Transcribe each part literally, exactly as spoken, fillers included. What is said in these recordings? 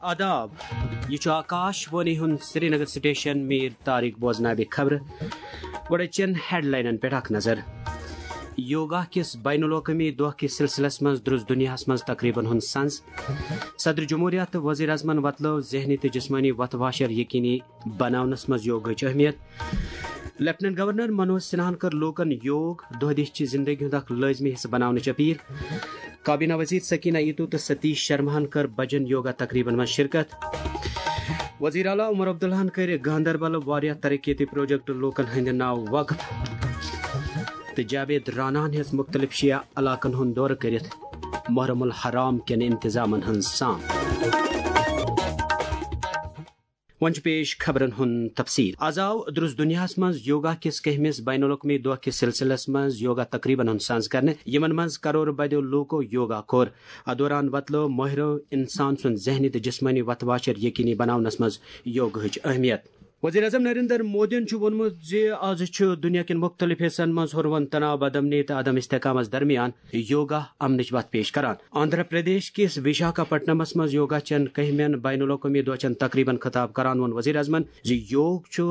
آداب، یہِ چھُ آکاش وانی ہُنٛد سرینگر سٹیشن۔ میر طارق بوزناوِ خبرٕ۔ گۄڈٕ أزچٮ۪ن ہیڈلاینن پٮ۪ٹھ اکھ نظر۔ یوگا کِس بین الاقوٲمی دۄہ کِس سلسلس منٛز درٛوس دُنیاہس منٛز تقریبن ہُنٛد سنز۔ صدر جمہوریہ تہٕ وزیر اعظمن وۄتلٲو ذہنی تہٕ جسمٲنی وتھ واشر یقینی بناونس منٛز یوگاہٕچ اہمیت۔ لیفٹیننٹ گورنر منوج سنہاہن کٔر لوٗکن یوگ دۄہ دِش چہِ زندگی ہُنٛد اکھ لٲزمی حصہٕ بناونٕچ اپیل۔ کابینہ وزیر سکینہ ایتو تہٕ ستیش شرماہن کٔر بجن یوگا تقریبن منٛز شرکت۔ وزیر اعلیٰ عمر عبداللہن کٔرۍ گاندربل واریاہ ترقیتی پروجیکٹ لوٗکن ہٕنٛدِ ناوٕ وقف۔ تہٕ جاوید راناہن ہیٚژ مُختٔلِف شیعہ علاقن ہُنٛد دورٕ کٔرِتھ محرم الحرام کٮ۪ن انتظامن ہٕنٛز سام۔ وۄنۍ چھُ پیش خبرن ہُنٛد تفصیل۔ از آو درٛوس دُنیاہس منٛز یوگا کِس کٔہمِس بین الاقوٲمی دۄہ کِس سلسلس منٛز یوگا تقریبن ہُنٛد سنز کرنہٕ، یِمن منٛز کرور بدیو لوٗکو یوگا کوٚر۔ اتھ دوران وۄتلٲو مٲہرو انسان سُنٛد ذہنی تہٕ جسمٲنی وتھ واشر یقینی بناونس منٛز یوگاہٕچ اہمیت۔ وزیر اعظم نریندر مودیَن چھُ ووٚنمُت زِ از چھُ دُنیا کٮ۪ن مُختٔلِف حصن منٛز ہُروَن تناو، بدامنی تہٕ عدم استحکامس درمیان یوگا امنٕچ وتھ پیش کران۔ آندھرا پردیش کِس وشاکھاپٹنمس منٛز یوگا چٮ۪ن کٔہمٮ۪ن بین الاقوٲمی دۄہ چٮ۪ن تقریبن خطاب کران ووٚن وزیر اعظمن زِ یوگ چھُ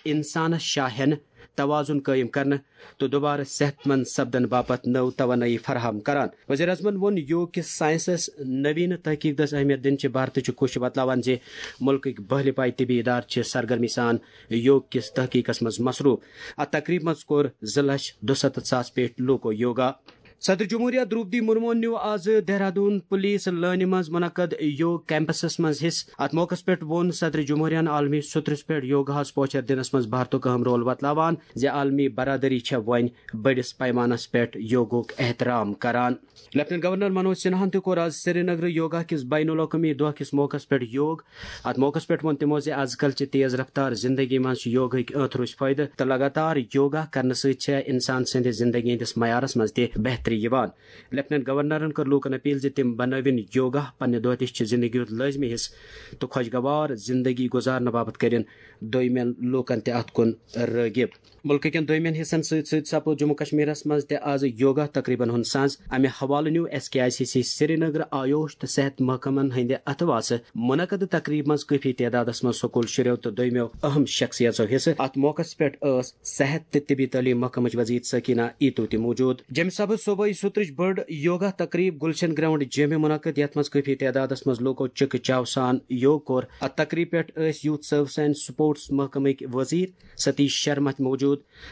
انسانس شاہ ہٮ۪نہٕ، توازن قٲیِم کرنہٕ تہٕ دوبارٕ صحت مند سپدن باپتھ نٔو توانٲیی فراہم کران۔ وزیر اعظمن ووٚن یوگ کِس ساینسس نوینہٕ تحقیق دٔسۍ اہمیت دِنٕچ بھارتٕچ کوٗشش بتلاوان زِ مُلکٕکۍ بٔہلہِ پایہِ طبی ادارٕ چھِ سرگرمی سان یوگ کِس تحقیقس منٛز مصروف۔ اتھ تقریبہِ منٛز کوٚر زٕ لچھ دُستتھ ساس پٮ۪ٹھ لوٗکو یوگا۔ صدر جمہوریہ درٛوپدی مرموہن نیوٗ آز دہرادوٗن پُلیٖس لٲنہِ منٛز منعقد یوگ کیمپسس منٛز حصہٕ۔ اتھ موقعس پٮ۪ٹھ ووٚن صدر جمہوریہن عالمی سترس پٮ۪ٹھ یوگاہس پوچھر دِنس منٛز بھارتُک اہم رول وتلاوان زِ عالمی برادری چھےٚ وۄنۍ بٔڑِس پیمانس پٮ۪ٹھ یوگُک احترام کران۔ لیفٹیننٹ گورنر منوج سنہاہن تہِ کوٚر آز سرینگرٕ یوگا کِس بین الاقوٲمی دۄہ کِس موقعس پٮ۪ٹھ یوگ۔ اتھ موقعس پٮ۪ٹھ ووٚن تِمو زِ از کل چہِ تیز رفتار زندگی منٛز چھُ یوگہٕکۍ ٲتھرُچ فٲیدٕ تہٕ لگاتار یوگا کرنہٕ سۭتۍ چھےٚ انسان سٕنٛدِ زندگی ہٕنٛدِس معیارس منٛز تہِ بہتری یِوان۔ لیفٹیننٹ گورنرن کٔر لوٗکن اپیل زِ تِم بنٲوِن یوگا پننہِ دۄہ دِش چہِ زندگی ہُنٛد لٲزمی حصہٕ تہٕ خۄشگوار زندگی گُزارنہٕ باپتھ کٔرِن دوٚیمٮ۪ن لوٗکن تہِ اتھ کُن رٲغب۔ مُلکہٕ کٮ۪ن دوٚیمٮ۪ن حصن سۭتۍ سۭتۍ سپُد جموں کشمیرس منٛز تہِ آز یوگا تقریبن ہُنٛد سنز۔ امہِ حوالہٕ نیوٗ S K I C C Srinagar, Ayush تہٕ صحت محکمن ہٕنٛدِ اتھٕ واسہٕ منعقد تقریبہِ منٛز کٲفی تعدادس منٛز سکوٗل شُرٮ۪و تہٕ دوٚیمٮ۪و اہم شخصیژو حصہٕ۔ اتھ موقعس پٮ۪ٹھ ٲس صحت تہٕ طبی تعلیٖم محکمٕچ وزیر سکینہ ایتو تہِ موجود۔ جیٚمہِ سبہٕ صوبٲئی سترٕچ بٔڑ یوگا تقریب گلشن گراؤنڈ جیمہِ منعقد، یتھ منٛز کٲفی تعدادس منٛز لوٗکو چکہٕ چاو سان یوگ کوٚر۔ اتھ تقریبہِ پٮ۪ٹھ ٲسۍ یوتھ سروسز اینڈ سپورٹس محکمٕکۍ وزیر ستیش شرما تہِ موجود۔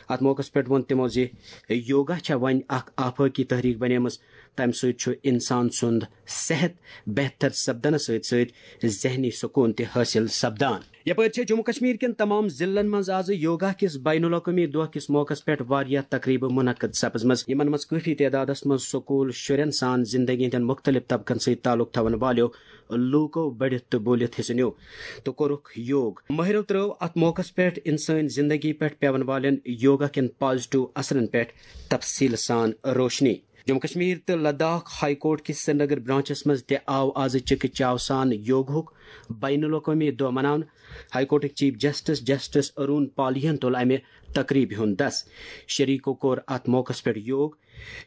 اتھ موقعس پٮ۪ٹھ ووٚن تِمو زِ یوگا چھےٚ وۄنۍ اکھ آفٲقی تحریک بنیمٕژ، تمہِ سۭتۍ چھُ انسان سُنٛد صحت بہتر سپدنس سۭتۍ سۭتۍ ذہنی سکوٗن تہِ حٲصِل سپدان۔ یپٲرۍ چھےٚ جموں کشمیر کٮ۪ن تمام ضلعن منٛز آز یوگا کِس بین الاقوٲمی دۄہ کِس موقعس پٮ۪ٹھ واریاہ تقریبہٕ منعقد سپزمژٕ، یِمن منٛز کٲفی تعدادس منٛز سکوٗل شُرٮ۪ن سان زندگی ہٕنٛدٮ۪ن مُختٔلِف طبقن سۭتۍ تعلق تھاون والٮ۪و لوٗکو بٔڑِتھ تہٕ بوٗلِتھ حصہٕ نیوٗ تہٕ کوٚرُکھ یوگ۔ مٲہرو ترٲو اتھ موقعس پٮ۪ٹھ انسٲنۍ زندگی پٮ۪ٹھ پٮ۪ون والٮ۪ن یوگا کٮ۪ن پازیٹو اثرن پٮ۪ٹھ تفصیل سان روشنی۔ جموں کشمیر تہٕ لداخ ہائی کورٹ کِس سرینگر برانچس منٛز تہِ آو آز چکہٕ چاو سان یوگہُک بین الاقوٲمی دۄہ مناونہٕ۔ ہائی کورٹٕکۍ چیف جسٹس جسٹس ارون پالین تُل امہِ تقریبہِ ہُنٛد دس۔ شریکو کوٚر اتھ موقعس پٮ۪ٹھ یوگ۔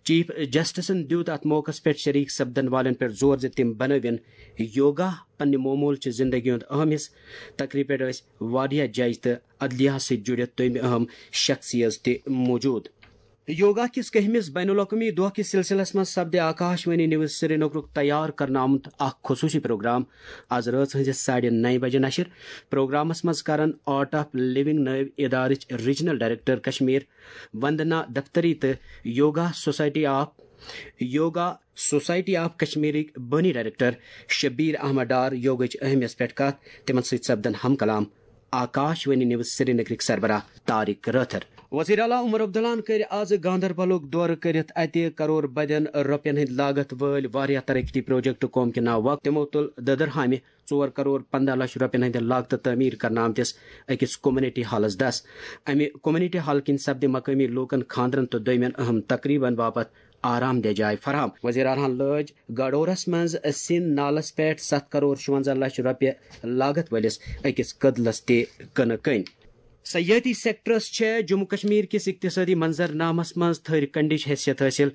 چیف جسٹسن دیُت اتھ موقعس پٮ۪ٹھ شریک سپدن والٮ۪ن پٮ۪ٹھ زور زِ تِم بنٲوِن یوگا پننہِ معمول چہِ زندگی ہُنٛد اہم حصہٕ۔ تقریبہِ پٮ۪ٹھ ٲسۍ واریاہ جج تہٕ عدلیہ سۭتۍ جُڑِتھ دوٚیمہِ اہم شخصیژ تہِ موجود۔ یوگا کِس کٔہمِس بین الاقوٲمی دۄہ کِس سلسلس منٛز سپدِ آکاش وانی نیوز سرینگرُک تیار کرنہٕ آمُت اکھ خصوٗصی پروگرام از رٲژ ہٕنزِ ساڑِ نَیہِ بجہِ نشر۔ پروگرامس منٛز کرن آرٹ آف لونگ نٲوۍ ادارٕچ ریجنل ڈائریکٹر کشمیر وندنا دفتری تہٕ yoga society of yoga society of کشمیرٕکۍ بٲنی ڈائریکٹر شبیر احمد ڈار یوگٕچ اہمیت پٮ۪ٹھ کتھ۔ تِمن سۭتۍ سپدن ہم کلام آکاش وانی نیوز سرینگرٕکۍ سربراہ طارق رٲتھر۔ وزیر اعلیٰ عمر عبداللہن کٔرۍ آز گاندربلُک دورٕ کٔرِتھ اتہِ کرور بدین رۄپین ہٕنٛدۍ لاگت وٲلۍ واریاہ ترقیتی پروجیکٹ قوم کہِ ناوٕ وقف۔ تِمو تُل دٔدٕرہامہِ ژور کرور پنداہ لچھ رۄپین ہٕنٛدِ لاگتہٕ تعمیٖر کرنہٕ آمتِس أکِس کمیونٹی ہالس دس۔ امہِ کمیونٹی ہال کِنۍ سپدِ مقٲمی لوٗکن خاندرن تہٕ دوٚیمٮ۪ن اہم تقریبن باپتھ آرام دہ جاے فراہم۔ وزیر اعلیٰ ہن لٲج گاڈورس منٛز سِن نالس پٮ۪ٹھ ستھ کرور شُونزہ لچھ رۄپیہِ لاگت وٲلِس أکِس کٔدلس تہِ کٕنہٕ کٔنۍ۔ سیاحتی سیکٹرس چھےٚ جموں کشمیر کِس اقتصٲدی منظرنامس منٛز تھٔرۍ کنڈٕچ حیثیت حٲصِل۔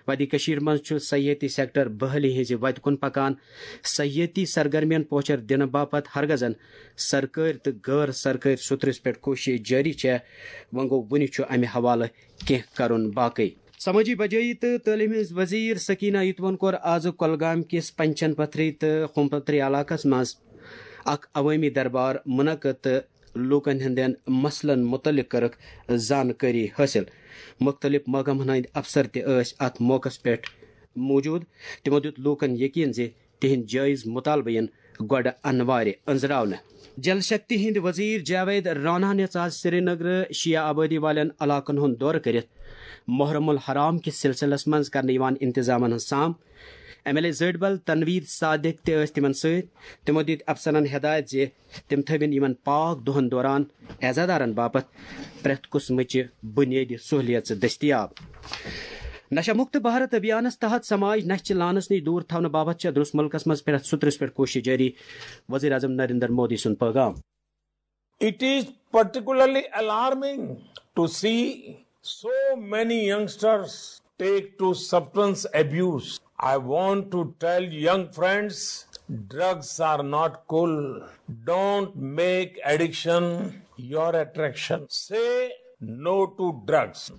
وادی کٔشیٖر منٛز چھُ سیاحتی سیکٹر بحٲلی ہٕنٛزِ وتہِ کُن پکان۔ سیاحتی سرگرمین پوچھر دِنہٕ باپتھ ہرگزن سرکٲرۍ تہٕ غٲر سرکٲرۍ سطرس پٮ۪ٹھ کوٗشش جٲری چھےٚ۔ وۄنۍ گوٚو، وُنہِ چھُ امہِ حوالہٕ کینٛہہ کرُن باقٕے۔ سمٲجی بجٲیی تہٕ تعلیٖم ہٕنٛز وزیر سکینہ یتوَن کوٚر آز کۄلگام کِس پنچن پتھری تہٕ خوم پتھری علاقس منٛز اکھ عوٲمی دربار منعقد تہٕ لوٗکن ہٕنٛدٮ۪ن مسلن مُتعلق کٔرٕکھ زانکٲری حٲصِل۔ مُختٔلِف محکمن ہٕنٛدۍ افسر تہِ ٲسۍ اتھ موقعس پٮ۪ٹھ موجود۔ تِمو دیُت لوٗکن یقین زِ تِہنٛدۍ جٲیز مُطالبہٕ یِن گۄڈٕ انوارِ أنٛزراونہٕ۔ جل شکتی ہٕنٛدۍ وزیر جاوید رانا نِژ آز سرینگرٕ شیعہ آبٲدی والٮ۪ن علاقن ہُنٛد دورٕ کٔرِتھ محرم الحرام کِس سلسلس منٛز کرنہٕ یِوان انتظامن ہٕنٛز سام۔ ایم ایل اے زٲڈبل تنویر صادق تہِ ٲسۍ تِمن سۭتۍ۔ تِمو دِتۍ افسرن ہدایت زِ تِم تھٲوِن یِمن پاک دۄہن دوران عزادارن باپتھ پرٛٮ۪تھ قٕسمٕچہِ بُنیٲدی سہوٗلیژٕ دٔستیاب۔ نشہ مکت بھارت ابھیانس تحت سماج نشہِ چہِ لانس نِش دوٗر تھاونہٕ باپتھ چھےٚ درست مُلکس منٛز پرٛٮ۪تھ سطرس پٮ۪ٹھ کوٗشش جٲری، وزیر اعظم نریندر مودی سُنٛد پیغام۔ It is particularly alarming to see so many youngsters take to substance abuse. I want to tell young friends, drugs are not cool. Don't make addiction your attraction. Say no to drugs.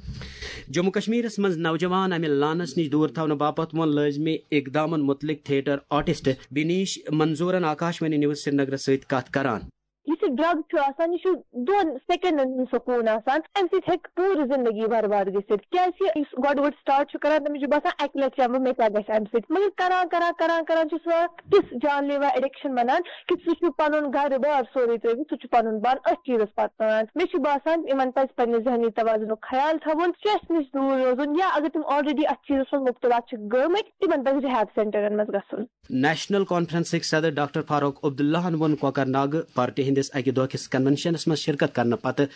Jammu کشمیرس منٛز نوجوان امہِ lance نِش دوٗر تھاونہٕ باپتھ ووٚن لٲزمی اقدامن مُتعلق theatre artist Binish منظورن Akashvani news سرینگرس سۭتۍ کتھ کران۔ یُس یہِ ڈرگ چھُ آسان، یہِ چھُ دۄن سیکنڈن ہُنٛد سکوٗن آسان، امہِ سۭتۍ ہیٚکہِ پوٗرٕ زندگی برباد گٔژھِتھ۔ کیازِ کہِ یُس گۄڈٕ گۄڈٕ سٹارٹ چھُ کران، تٔمِس چھُ باسان اکہِ لٹہِ چٮ۪مہٕ بہٕ، مےٚ کیاہ گژھِ امہِ سۭتۍ، مگر کران کران کران کران چھُ سُہ اکھ تِژھ جان لیوا ایڈکشن بنان کہِ سُہ چھُ پنُن گرٕ بار سورُے ترٲوِتھ، سُہ چھُ پنُن پان أتھۍ چیٖزس پتہٕ نان۔ مےٚ چھُ باسان یِمن پزِ پننہِ ذہنی توازنُک خیال تھاوُن، stress نِش دوٗر روزُن، یا اگر تِم already اتھ چیٖزس منٛز مُبتلا چھِ گٔمٕتۍ، تِمن پزِ rehab centreن منٛز گژھُن۔ نیشنل کانفرنسٕکۍ صدر ڈاکٹر فاروق عبداللہن ووٚن کۄکرناگہٕ پارٹی ہٕنٛدِس اکہِ دۄہ کِس کنونشنس منٛز شرکت کرنہٕ پتہٕ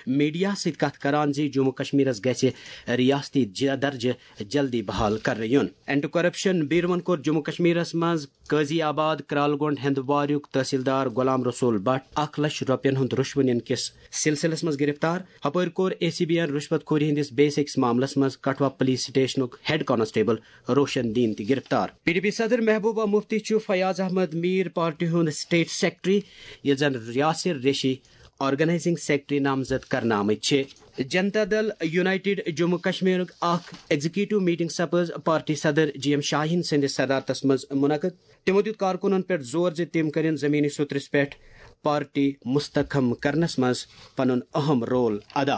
میڈیاہس سۭتۍ کتھ کران زِ جموں کشمیرس گژھِ ریاستی ج- درجہٕ جلدی بحال کرنہٕ یُن۔ اینٹی کرپشن بیوروَن کوٚر جموں کشمیرس منٛز قاضی آباد کرالگونڈ ہندواریُک تحصیلدار غلام رسول بٹ اکھ لچھ رۄپین ہُنٛد رُشوٕ نِنہٕ کِس سلسلس منٛز گرفتار۔ ہپٲرۍ کوٚر اے سی بی یَن رُشوت خوری ہٕنٛدِس بیٚیِس أکِس معاملس منٛز کٹھوا پُلیٖس سٹیشنُک ہیڈ کانسٹیبل روشن دیٖن تہِ گرفتار۔ پی ڈی پی صدر محبوبہ مفتی چھُ فیاض احمد میٖر پارٹی ہُنٛد سٹیٹ سیکرٹری، ییٚلہِ زن یاسر ریشی آرگنائزنگ سیکرٹری نامزد کرنہٕ آمٕتۍ چھِ۔ جنتا دل یونائیٹڈ جموں کشمیرُک اکھ ایگزیکٹو میٹنگ سپٕز پارٹی صدر جی ایم شاہین سٕنٛدِس صدارتس منٛز منعقد۔ تِمو دیُت کارکُنن پٮ۪ٹھ زور زِ تِم کٔرِن زمینی سطرس پٮ۪ٹھ پارٹی مستحکم کرنس منٛز پنُن اہم رول ادا۔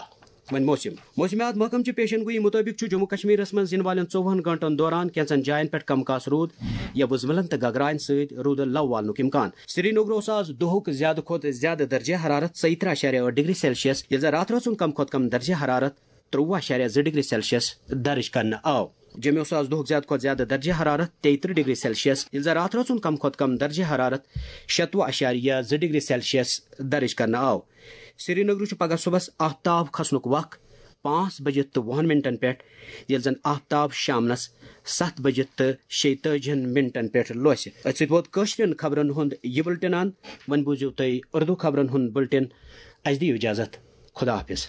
وۄنۍ موسم۔ موسمیات محکمہٕ چہِ پیشن گویی مُطٲبِق چھُ جموں کشمیرس منٛز یِنہٕ والٮ۪ن ژوٚوُہن گھنٹن دوران کینٛژن جاین پٮ۪ٹھ کم کاس روٗد یا وُزملن تہٕ گگراین سۭتۍ روٗدٕ لو والنُک امکان۔ سرینگر اوس آز دۄہُک زیادٕ کھۄتہٕ زیادٕ درجہ حرارت ژۄیہِ ترٕٛہ اَشاریہ ٲٹھ ڈگری سیلسیس، ییٚلہِ زن راتہٕ رٲژ ہُنٛد کم کھۄتہٕ کم درجہ حرارت ترٛوُہ اَشاریہ زٕ ڈگری سیلسیس درج کرنہٕ آو۔ جوٚمہِ اوس آز دۄہُک زیادٕ کھۄتہٕ زیادٕ درجہ حرارت تیٚیہِ ترٕٛہ ڈگری سیلسیس، ییٚلہِ زن راتہٕ رٲژ ہُنٛد کم کھۄتہٕ کم درجہ حرارت شیٚتوُہ اَشاریہ زٕ ڈگری سیلسیس درج کرنہٕ آو۔ سرینگرٕ چھُ پگہہ صُبحس آفتاب کھسنُک وق پانٛژھ بجہِ تہٕ وُہن منٹن پٮ۪ٹھ، ییٚلہِ زن آفتاب شامنس ستھ بجہِ تہٕ شیٚیہِ تٲجِہن منٹن پٮ۪ٹھ لوسہِ۔ أتھۍ سۭتۍ ووت کٲشرٮ۪ن خبرن ہُنٛد یہِ بُلٹن اند۔ وۄنۍ بوٗزِو تُہۍ اردو خبرن ہُنٛد بُلٹن۔ اسہِ دِیِو اجازت۔ خدا حافظ۔